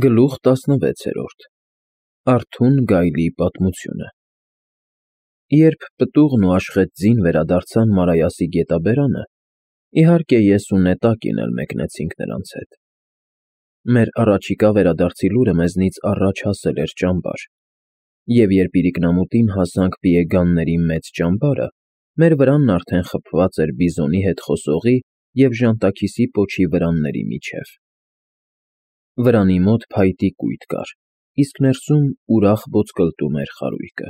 Գլուխ 16 Արթուն գայլի պատմությունը Երբ պտուղն ու Աշխեթ ձին վերադարձան Մարայասի գետաբերանը, իհարկե ես ու Նետակին էլ մեկնեցինք նրանց հետ։ Մեր առաջիկա վերադարձի լուրը մեզնից առաջ հասել էր ճամբար, և երբ իրիկնամուտին հասանք պիեգանների մեծ ճամբարը, մեր վրանն արդեն խփված էր բիզոնի հետ խոսողի և ժանտաքիսի պոչի վրանների միջև։ Վրանի մոտ փայտի կույտ կար, իսկ ներսում ուրախ ոսկլտում էր խարույկը։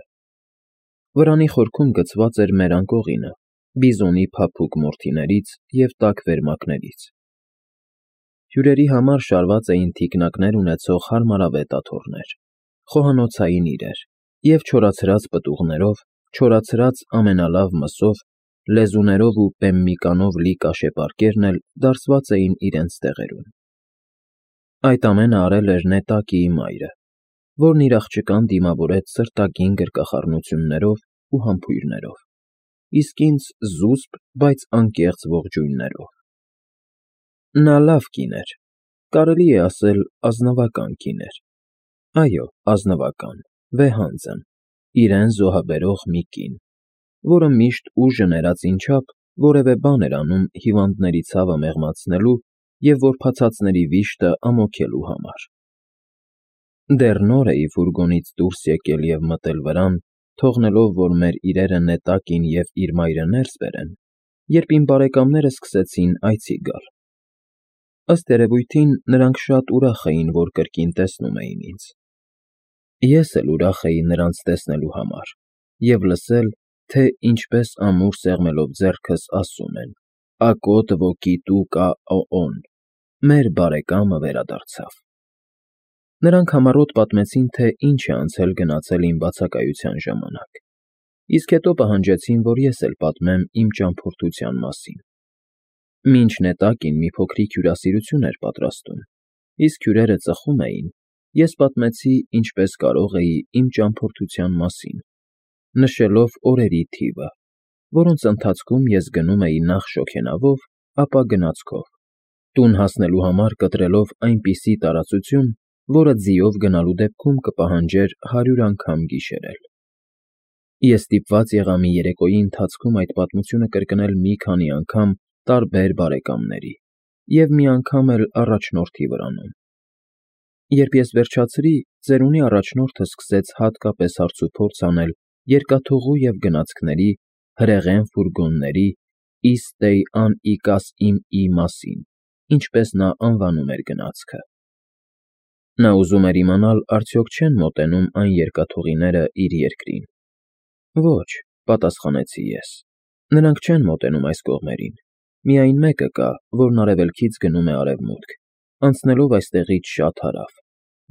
Վրանի խորքում գցված էր մեր անկողինը, բիզոնի փափուկ մորթիներից և տաք վերմակներից։ Հյուրերի համար շարված էին թիկնակներ ունեցող հարմարավետ աթոռներ, խոհանոցային իրեր և չորացրած պտուղներով, չորացրած ամենալավ մսով, լեզուներով ու պեմմիկանով լի կաշեպարկերն էլ դարսված էին իրենց տեղերում։ Այդ ամենը արել էր Նետակիի մայրը, որն իր աղջկան դիմավորեց սրտագին գրկախառնություններով ու համբույրներով, իսկ ինձ զուսպ, բայց անկեղծ ողջույններով։ Նա լավ կին էր, կարելի է ասել ազնվական կին էր, այո, ազնվական, վեհանձն, իրեն զոհաբերող մի կին, որը միշտ ուժը ներածին չափ որևէ բան էր անում հիվանդների ցավը մեղմացնելու և որբացածների վիշտը ամոքելու համար։ Դեռ նոր էի ֆուրգոնից դուրս եկել և մտել վրան, թողնելով, որ մեր իրերը Նետակին և իր մայրը ներս բերեն, երբ իմ բարեկամները սկսեցին այցի գալ։ Ըստ երևույթին, նրանք շատ ուրախ էին, որ կրկին տեսնում էին ինձ։ Ես էլ ուրախ էի նրանց տեսնելու համար և լսել, թե ինչպես ամուր սեղմելով ձեռքս ասում են. «Ակոտ ոկի տու կա օօն», մեր բարեկամը վերադարձավ։ Նրանք համառոտ պատմեցին, թե ինչ է անցել֊գնացել իմ բացակայության ժամանակ, իսկ հետո պահանջեցին, որ ես էլ պատմեմ իմ ճամփորդության մասին։ Մինչ Նետակին մի փոքրիկ հյուրասիրություն էր պատրաստում, իսկ հյուրերը ծխում էին, ես պատմեցի ինչպես կարող էի իմ ճամփորդության մասին, նշելով օրերի թիվը, որոնց ընթացքում ես գնում էի նախ շոգենավով, ապա գնացքով, տուն հասնելու համար կտրելով այնպիսի տարածություն, որը ձիով գնալու դեպքում կպահանջեր 100 անգամ գիշերել։ Ես ստիպված եղա մի երեկոյի ընթացքում այդ պատմությունը կրկնել մի քանի անգամ տարբեր բարեկամների և մի անգամ էլ առաջնորդի վրանում։ Երբ ես վերջացրի, ծերունի առաջնորդը սկսեց հատկապես հարցուփորձ անել երկաթուղու և գնացքների, հրեղեն ֆուրգոնների, Իստեյ ան Իկաս իմ մասին, ինչպես նա անվանում էր գնացքը։ Նա ուզում էր իմանալ, արդյոք չեն մոտենում այն երկաթուղիները իր երկրին։ Ոչ, պատասխանեցի ես, նրանք չեն մոտենում այս կողմերին, միայն մեկը կա, որն արևելքից գնում է արևմուտք, անցնելով այստեղից շատ հարավ,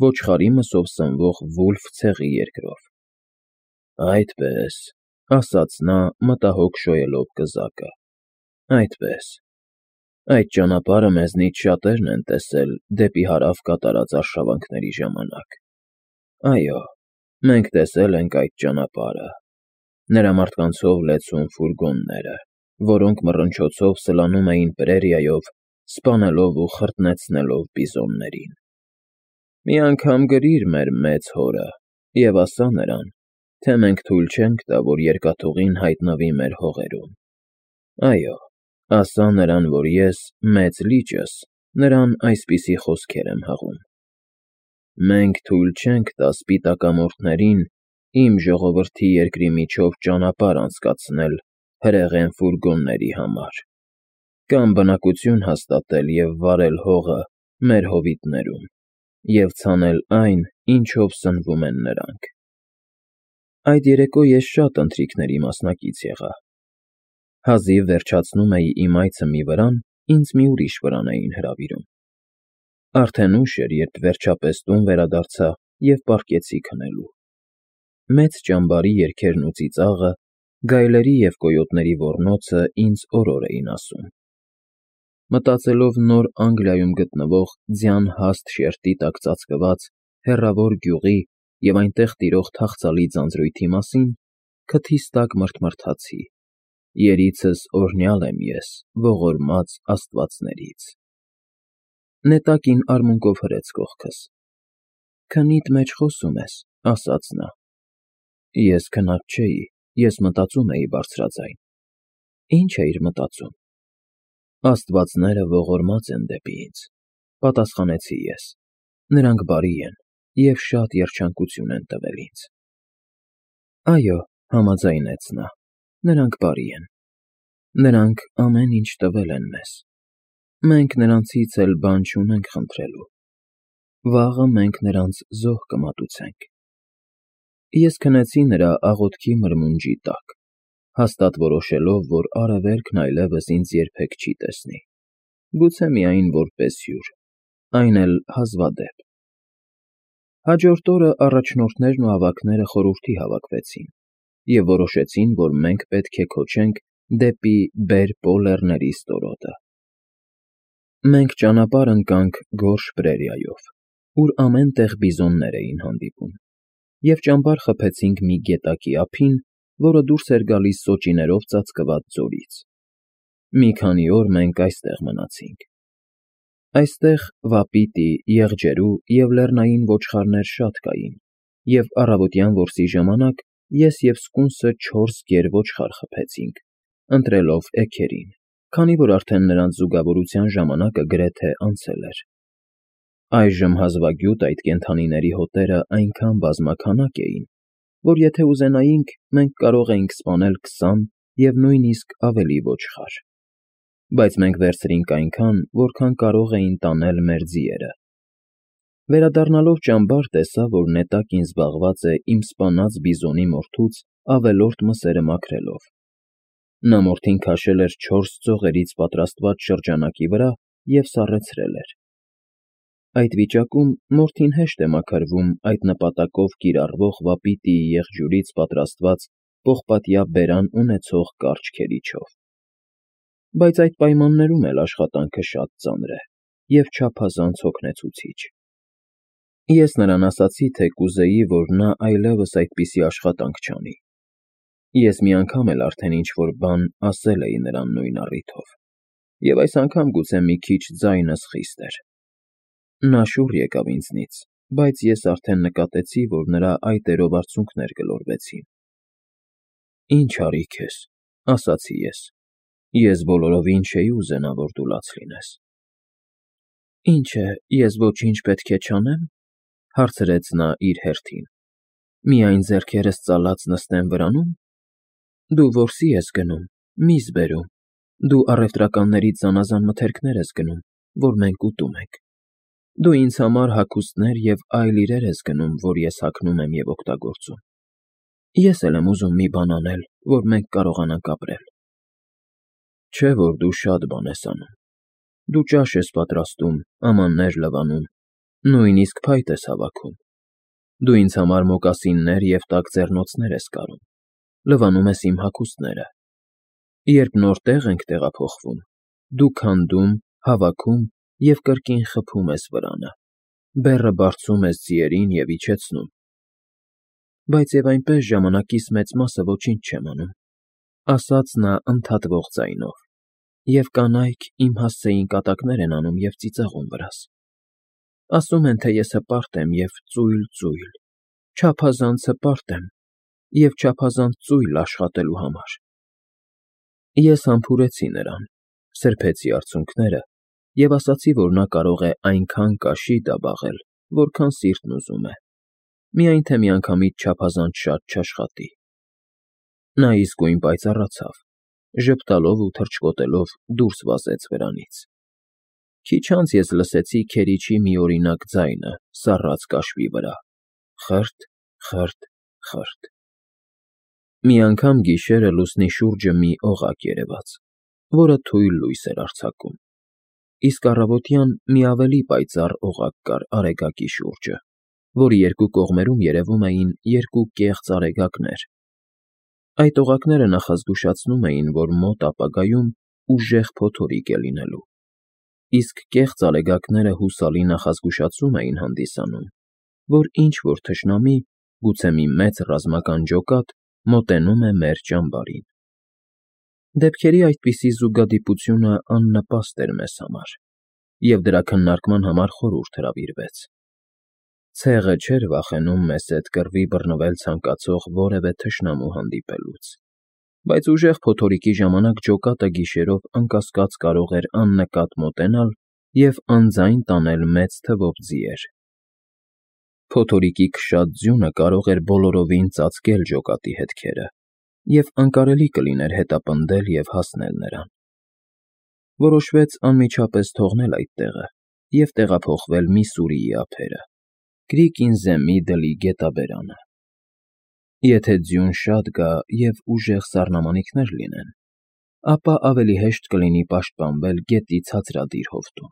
ոչխարի մսով սնվող Վուլֆ ցեղի երկրով։ Այդպես, ասաց նա, մտահոգ շոյելով կզակը, այդպես, այդ ճանապարհը մեզնից շատերն են տեսել դեպի հարավ կատարած արշավանքների ժամանակ։ Այո, մենք տեսել ենք այդ ճանապարհը, նրա մարդկանցով լեցուն ֆուրգոնները, որոնք մռնչոցով սլանում էին պրերիայով, սպանելով ու խրտնեցնելով բիզոններին։ Մի անգամ գրիր մեր մեծ հորը և ասա նրան, թե մենք թույլ չենք տա, որ երկաթուղին հայտնվի մեր հողերում։ Այո, ասա նրան, որ ես, մեծ լիճս, նրան այսպիսի խոսքեր եմ հղում. «Մենք թույլ չենք տա սպիտակամորթներին իմ ժողովրդի երկրի միջով ճանապարհ անցկացնել հրեղեն ֆուրգոնների համար, կամ բնակություն հաստատել և վարել հողը մեր հովիտներում և ցանել այն, ինչով սնվում են նրանք»։ Այդ երեկո ես շատ ընթրիքների մասնակից եղա։ Հազիվ վերջացնում էի իմ այցը մի վրան, ինձ մի ուրիշ վրան էին հրավիրում։ Արդեն ուշ էր, երբ վերջապես տուն վերադարձա և պառկեցի քնելու։ Մեծ ճամբարի երգերն ու ծիծաղը, գայլերի և կոյոտների ոռնոցը ինձ օրոր էին ասում։ Մտածելով Նոր Անգլիայում գտնվող ձյան հաստ շերտի տակ ծածկված հեռավոր գյուղի և այնտեղ տիրող թախծալի ձանձրույթի մասին, քթիս տակ մռթմռթացի. երիցս օրհնյալ եմ ես ողորմած աստվածներից։ Նետակին արմունկով հրեց կողքս, Քնիդ մեջ խոսում ես, ասաց նա։ Ես քնած չէի, ես մտածում էի բարձրաձայն։ Ինչ էիր մտածում։ Աստվածները ողորմած են դեպի ինձ, պատասխանեցի ես։ Նրանք բարի են և շատ երջանկություն են տվել ինձ։ Այո, համաձայնեց նա, նրանք բարի են։ Նրանք ամեն ինչ տվել են մեզ։ Մենք նրանցից էլ բան չունենք խնդրելու։ Վաղը մենք նրանց զոհ կմատուցենք։ Ես քնեցի նրա աղոթքի մրմունջի տակ, հաստատ որոշելով, որ արևելքն այլևս ինձ երբեք չի տեսնի, գուցե միայն որպես հյուր, այն էլ հազվադեպ։ Հաջորդ օրը առաջնորդներն ու ավագները խորհրդի հավաքվեցին և որոշեցին, որ մենք պետք է քոչենք դեպի Բեր֊Պո ստորոտը։ Մենք ճանապարհ ընկանք Գորշ Պրերիայով, ուր ամեն տեղ բիզոններ էին հանդիպում, և ճամբար խփեցինք մի գետակի ափին, որը դուրս էր գալիս սոճիներով ծածկված ձորից։ Մի քանի օր մենք այստեղ մնացինք։ Այստեղ վապիտի, եղջերու և լեռնային ոչխարներ շատ կային, և առավոտյան որսի ժամանակ ես և սկունսը 4 գեր֊ոչխար խփեցինք, ընտրելով էգերին, քանի որ արդեն նրանց զուգավորության ժամանակը գրեթե անցել էր։ Այժմ հազվագյուտ այդ կենդանիների հոտերը այնքան բազմաքանակ էին, որ եթե ուզենայինք, մենք կարող էինք սպանել 20 և նույնիսկ ավելի ոչխար։ Բայց մենք վերցրինք այնքան, որքան կարող էին տանել մեր ձիերը։ Վերադառնալով ճամբար, տեսա, որ նետակին զբաղված է իմ սպանած բիզոնի մորթուց ավելորդ մսերը մաքրելով։ Նա մորթին քաշել էր 4 ծողերից պատրաստված շրջանակի վրա և սառեցրել էր։ Այդ վիճակում մորթին հեշտ է մաքրվում այդ նպատակով կիրառվող վապիտիի եղջյուրից պատրաստված պողպատյա բերան ունեցող կարճ քերիչով։ Բայց այդ պայմաններում էլ աշխատանքը շատ ծանր է և չափազանց հոգնեցուցիչ։ Ես նրան ասացի, թե կուզեի, որ նա այլևս այդպիսի աշխատանք չանի։ Ես մի անգամ էլ արդեն ինչ֊որ բան ասել էի նրան նույն առիթով, և այս անգամ գուցե մի քիչ ձայնս խիստ էր։ Նա շուռ եկավ ինձնից, բայց ես արդեն նկատեցի, որ նրա այտերով արցունքներ գլորվեցին։ Ինչ արի քեզ, ասացի ես։ Ես բոլորովին չէի ուզենա, որ դու լաց լինես։ Ինչ է, ես ոչինչ պետք է չանեմ, հարցրեց նա իր հերթին։ Միայն ձեռքերս ծալած նստեմ վրանում։ Դու որսի ես գնում, միս բերում, դու առևտրականներից զանազան մթերքներ ես գնում, որ մենք ուտում ենք։ Դու ինձ համար հագուստներ և այլ իրեր ես գնում, որ ես հագնում եմ և օգտագործում։ Ես էլ եմ ուզում մի բան անել, որ մենք կարողանանք ապրել։ Չէ՞ որ դու շատ բան ես անում։ Դու ճաշ ես պատրաստում, ամաններ լվանում, նույնիսկ փայտ ես հավաքում։ Դու ինձ համար մոկասիններ և տաք ձեռնոցներ ես կարում, լվանում ես իմ հագուստները։ Երբ նոր տեղ ենք տեղափոխվում, դու քանդում, հավաքում և կրկին խփում ես վրանը, բեռը բարձում ես ձիերին և իջեցնում։ Բայց և այնպես ժամանակիս մեծ մասը ոչինչ չեմ անում, ասաց նա ընդհատվող ձայնով, և կանայք իմ հասցեին կատակներ են անում և ծիծաղում վրաս։ Ասում են, թե ես հպարտ եմ և ծույլ, չափազանց հպարտ եմ և չափազանց ծույլ աշխատելու համար։ Ես համբուրեցի նրան, սրբեցի արցունքները և ասացի, որ նա կարող է այնքան կաշի դաբաղել, որքան սիրտն ուզում է, միայն թե միանգամից չափազանց շատ չաշխատի։ Նա իսկույն պայծառացավ, ժպտալով ու թռչկոտելով դուրս վազեց վրանից։ Քիչ անց ես լսեցի քերիչի միօրինակ ձայնը սառած կաշվի վրա. խըրթ, խըրթ, խըրթ։ Մի անգամ գիշերը լուսնի շուրջը մի օղակ երևաց, որը թույլ լույս էր արձակում, իսկ առավոտյան մի ավելի պայծառ օղակ կար արեգակի շուրջը, որի երկու կողմերում երևում էին երկու կեղծ արեգակներ։ Այդ օղակները նախազգուշացնում էին, որ մոտ ապագայում ուժեղ փոթորիկ է լինելու, իսկ կեղծ արեգակները հուսալի նախազգուշացում էին հանդիսանում, որ ինչ֊որ թշնամի, գուցե մի մեծ ռազմական ջոկատ, մոտենում է մեր ճամբարին։ Դեպքերի այդպիսի զուգադիպությունը աննպաստ էր մեզ համար, և դրա քննարկման համար խորհուրդ հրավիրվեց։ Ցեղը չէր վախենում մեզ հետ կռվի բռնվել ցանկացող որևէ թշնամու հանդիպելուց, բայց ուժեղ փոթորիկի ժամանակ ջոկատը գիշերով անկասկած կարող էր աննկատ մոտենալ և անձայն տանել մեծ թվով ձիեր։ Փոթորիկի քշած ձյունը կարող էր բոլորովին ծածկել ջոկատի հետքերը, և անկարելի կլիներ հետապնդել և հասնել նրան։ Որոշվեց անմիջապես թողնել այդ տեղը և տեղափոխվել Միսսուրիի ափերը, Կրիկինզեմի դլի գետաբերանը։ Եթե ձյուն շատ գա և ուժեղ սառնամանիքներ լինեն, ապա ավելի հեշտ կլինի պաշտպանվել գետի ցածրադիր հովտում։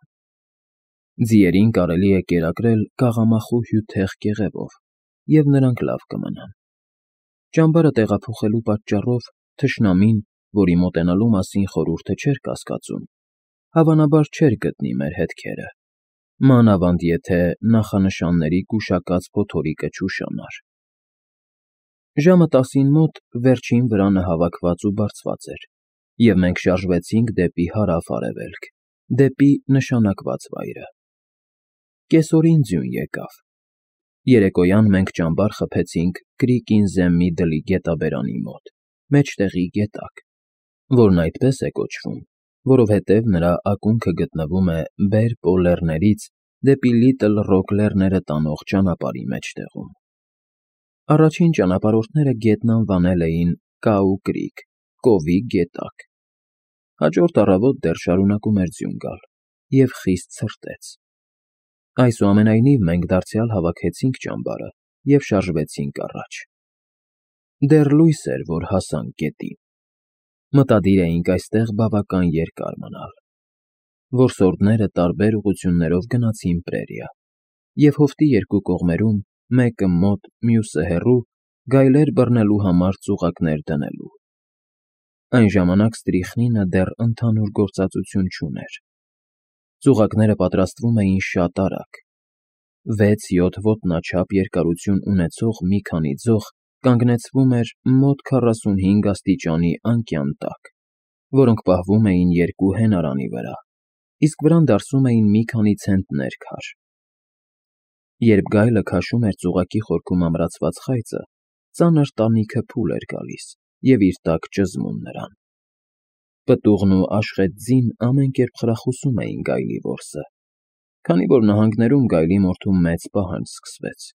Ձիերին կարելի է կերակրել կաղամախու հյութեղ կեղևով, և նրանք լավ կմնան։ Ճամբարը տեղափոխելու պատճառով թշնամին, որի մոտենալու մասին խորհուրդը չէր կասկածում, հավանաբար չէր գտնի մեր հետքերը, մանավանդ եթե նախանշանների գուշակած փոթորիկը չուշանար։ Ժամը 10-ին մոտ վերջին վրանը հավաքված ու բարձված էր, և մենք շարժվեցինք դեպի հարավ֊արևելք, դեպի նշանակված վայրը։ Կեսօրին ձյուն եկավ։ Երեկոյան մենք ճամբար խփեցինք Կրիկինզեմի դլի գետաբերանի մոտ, մեջտեղի գետակ, որն այդպես է կոչվում, որովհետև նրա ակունքը գտնվում է Բերպո լեռներից դեպի Լիտլ Ռոք լեռները տանող ճանապարհի մեջտեղում։ Առաջին ճանապարհորդները գետն անվանել էին Կաու Կրիկ, Կովի գետակ։ Հաջորդ առավոտ դեռ շարունակում էր ձյուն գալ, և խիստ ցրտեց։ Այսուամենայնիվ մենք դարձյալ հավաքեցինք ճամբարը և շարժվեցինք առաջ։ Դեռ լույս էր, որ հասանք գետին։ Մտադիր էինք այստեղ բավական երկար մնալ։ Որսորդները տարբեր ուղղություններով գնացին պրերիա, և հովտի երկու կողմերում, մեկը մոտ, մյուսը հեռու, գայլեր բռնելու համար ծուղակներ դնելու։ Այն ժամանակ ստրիխնինը դեռ ընդհանուր գործածություն չուներ։ Ծուղակները պատրաստվում էին շատ արագ։ 6-7 ոտնաչափ երկարություն ունեցող մի քանի ձող կանգնեցվում էր մոտ 45 աստիճանի անկյան տակ, որոնք պահվում էին երկու հենարանի վրա, իսկ վրան դարսում էին մի քանի ցենտներ քար։ Երբ գայլը քաշում էր ծուղակի խորքում ամրացված խայծը, ծանր տանիքը փուլ էր գալիս և իր տակ ճզմում նրան։ Պտուղն ու աշխեծ ձին ամեն կերպ խրախուսում էին գայլի որսը, քանի որ նահանգներում գայլի մորթու մեծ պահանջ սկսվեց։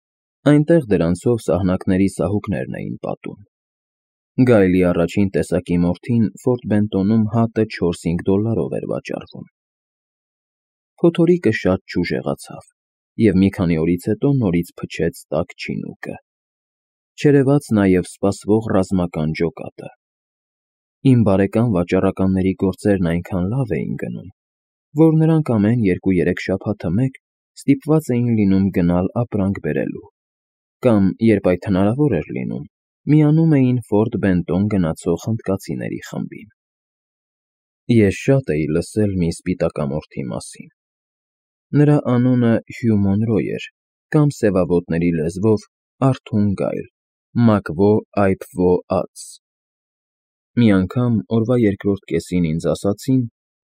Այնտեղ դրանցով սահնակների սահուկներն էին պատում։ Գայլի առաջին տեսակի մորթին Ֆորտ Բենտոնում հատը $4-5 էր վաճառվում։ Փոթորիկը շատ չուժեղացավ, և մի քանի օրից հետո նորից փչեց տաք չինուկը։ Չերևաց նաև սպասվող ռազմական ջոկատը։ Իմ բարեկամ վաճառականների գործերն այնքան լավ էին գնում, որ նրանք ամեն 2-3 շաբաթը մեկ ստիպված էին լինում գնալ ապրանք բերելու, կամ, երբ այդ հնարավոր էր լինում, միանում էին Ֆորտ Բենտոն գնացող հնդկացիների խմբին։ Ես շատ էի լսել մի սպիտակամորթի մասին։ Նրա անունը Հյու Մոնրոյ էր, կամ սևավոտների լեզվով Արթուն գայլ, Մակվո Այփվո Ած։ Մի անգամ օրվա երկրորդ կեսին ինձ ասացին,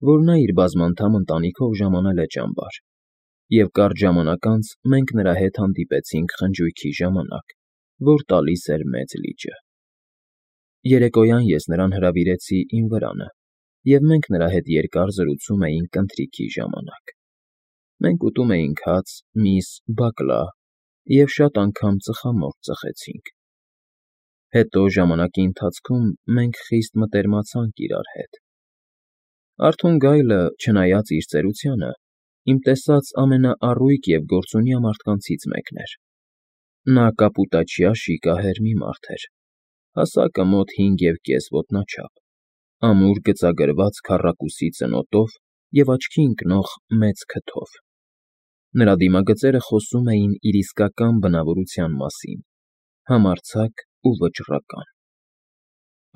որ նա իր բազմանդամ ընտանիքով ժամանել է ճամբար, և կարճ ժամանակ անց մենք նրա հետ հանդիպեցինք խնջույքի ժամանակ, որ տալիս էր Մեծ լիճը։ Երեկոյան ես նրան հրավիրեցի իմ վրանը, և մենք նրա հետ երկար զրուցում էինք ընթրիքի ժամանակ։ Մենք ուտում էինք հաց, միս, բակլա և շատ անգամ ծխամորճ ծխեցինք։ Հետո ժամանակի ընթացքում մենք խիստ մտերմացանք իրար հետ։ Արթուն գայլը, չնայած իր ծերությանը, իմ տեսած ամենաառույգ և գործունյա մարդկանցից մեկն էր։ Նա կապուտաչյա շիկահեր մի մարդ էր, հասակը մոտ 5.5 ոտնաչափ, ամուր գծագրված քառակուսի ծնոտով և աչքի ընկնող մեծ քթով։ Նրա դիմագծերը խոսում էին իր իսկական բնավորության մասին՝ համարձակ ու վճռական։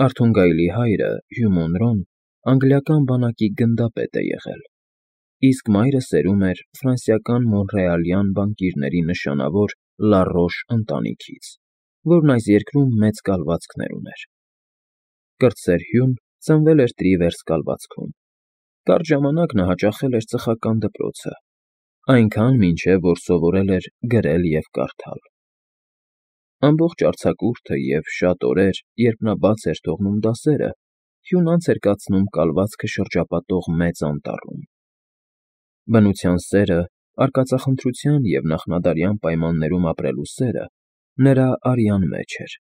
Արթուն գայլի հայրը՝ Հյու Մոնրոն, անգլիական բանակի գնդապետ է եղել, իսկ մայրը սերում էր ֆրանսիական մոնռեալյան բանկիրների նշանավոր Լարոշ ընտանիքից, որն այս երկրում մեծ կալվածքներ ուներ։ Կրտսեր Հյուն ծնվել էր Տրիվերս կալվածքում։ Կարճ ժամանակ նա հաճախել էր ծխական դպրոցը, այնքան, մինչև որ սովորել էր գրել և կարդալ։ Ամբողջ արձակուրդը և շատ օրեր, երբ նա բաց էր թողնում դասերը, Հյուն անց էր կացնում կալվածքը շրջապատող մեծ անտառում։ Բնության սերը, արկածախնդրության և նախնադարյան պայմաններում ապրելու սերը նրա արյան մեջ էր։